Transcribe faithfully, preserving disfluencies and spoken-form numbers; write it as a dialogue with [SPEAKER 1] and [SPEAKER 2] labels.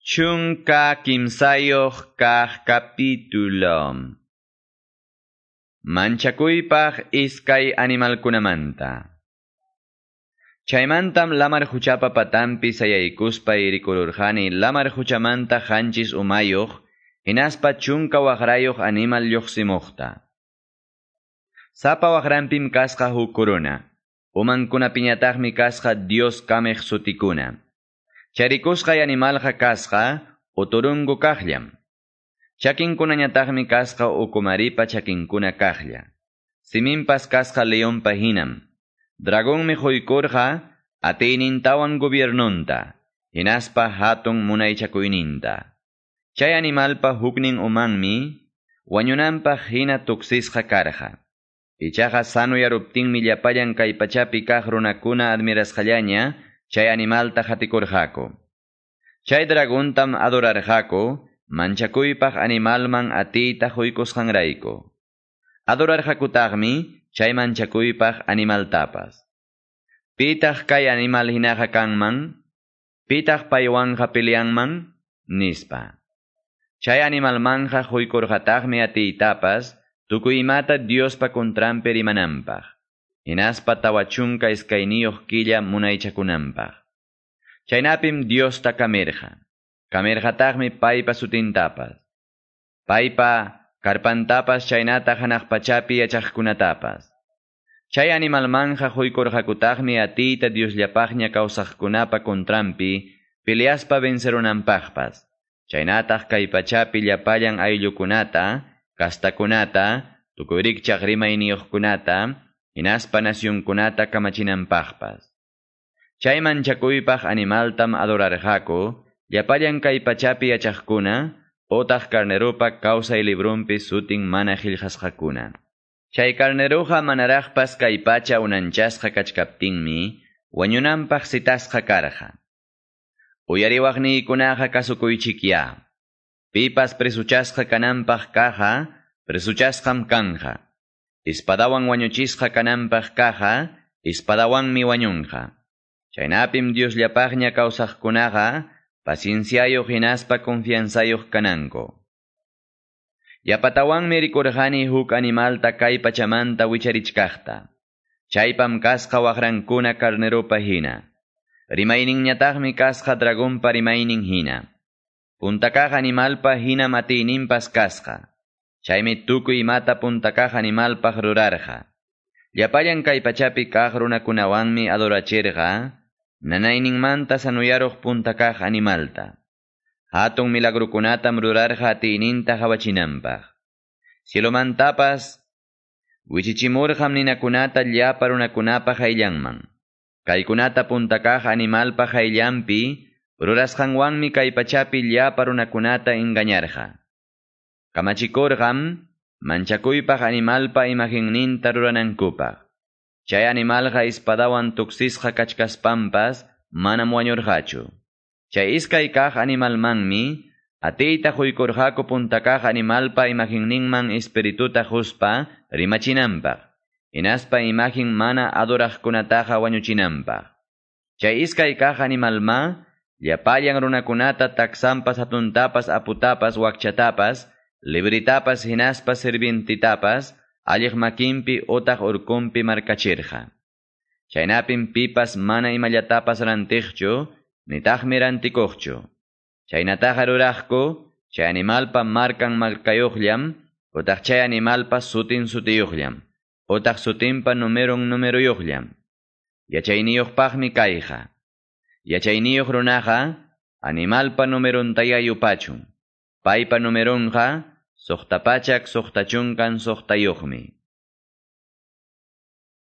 [SPEAKER 1] Chunka kimsayuq kaq capítulo. Manchakuypaq iskay animalkunamanta. Chaymantam lamar huchapa patampi sayaykuspa rikururqani lamar huchamanta qanchis umayuq hinaspa chunka waqrayuq animal lluqsimuqta. Sapa waqranpim kasqa huk corona, umankunapiñataqmi kasqa Dios kameq sutikuna. Charikusqay animalqa kasqa uturungu kaqllam. Chakinkunañataqmi kasqa ukumaripa chakinkuna kaqlla. Siminpas kasqa leonpa hinam. Dragonmi quykurqa atiynintawan gobiernunta, hinaspa hatun munaychakuyninta. Chay animalpa huknin umanmi wañunanpaq hina tuksisqa karqa. Ichaqa sanuyaruptinmi llapallan kay pachapi kaq runakuna admirasqallaña chay animalta qatikurqaku. Chay dragontam adorarqaku, manchakuypaq animalman atiyta quykusqanrayku. Adorarqakutaqmi chay manchakuypaq animaltapas. Pitaq kay animal hinaqa kanman? Pitaq paywanqa peleanman? Nispa. Chay animalmanja quykurqataqmi atiytapas tukuy imata Diospa contranpi rimananpaq. Hinaspa tawa chunka iskayniyuq killa munaychakunanpaq. Chaynapim Diosta kamirqa. Kamirqataqmi paypa sutintapas. Paypa karpantapas chaynata hanaq pachapi yachaqkunatapas. Chay animalmanja quykurqakutaqmi atiyta Diosllapaqña kawsaqkunapa contranpi peleaspa vencerunanpaqpas. Chaynataq kay pachapi llapallan ayllukunata, kastakunata, tukuy rikchaq rimayniyuqkunata, hinaspa nasyunkunata kamachinanpaqpas. Chay manchakuypaq animaltam adorarqaku, llapallan kay pachapi yachaqkuna, otaq carnerupa kawsay librunpi sutin mana qillqasqakuna. Chay carneruqa manaraqpas kay pacha unanchasqa kachkaptinmi, wañunanpaq citasqa karqa. Uyariwaqniykunaqa kasukuychikya. Pipas presuchasqa kananpaq kaqa, presuchasqam kanja. Espadawan wañuchisqa kananpaq kaqa, espadawanmi wañunqa. Chaynapim Diosllapaqña kawsaqkunaqa, pacienciayuq hinaspa confianzayuq kananku. Yapatawanmi rikurqani huk animalta kay pachamanta wicharichkaqta. Chaypam kasqa waqrankuna carnerupa hina. Rimayninñataqmi kasqa dragonpa rimaynin hina. Puntakaq animalpa hina atiyninpas kasqa. Chaymi tukuy imata puntakaq animalpaq rurarqa. Llapallan kay pachapi kaq runakunawanmi adorachirqa, nanayninmanta sanuyaruq puntakaq animalta. Hatun milagrukunatam rurarqa atiyninta qawachinanpaq. Cielomantapas wichichimurqam ninakunata llapa runakunapa qayllanman. Kaykunata puntakaq animalpa qayllanpi rurasqanwanmi kay pachapi llapa runakunata engañarqa. Kamachikurqam manchakuypaq animalpa imagenninta ruranankupaq. Chay animalqa espadawan tuksisqa kachkaspanpas manam wañurqachu. Chay iskay kaq animalmanmi atiyta quykurqaku puntakaq animalpa imagenninman espirituta quspa rimachinanpaq. Hinaspa imagen mana adoraqkunataqa wañuchinanpaq. Chay iskay kaq animalma llapallan runakunata taksanpas hatuntapas aputapas wakchatapas libritapas hinaspa sirvientitapas alliq makinpi otaq urkunpi markachirqa. Chaynapim pipas mana imallatapas rantiqchu, nitaqmi rantikuqchu. Chaynataqa ruraqku, chay animalpa markan markayuqllam, otaq chay animalpa sutin sutiyuqllam, otaq sutinpa numerun numeruyuqllam. Yachayniyuqpaqmi kayqa. Yachayniyuq runaqa animalpa numeruntaya yupachun. Paypa numerunqa suqta pachak suqta chunkan suqtayuqmi.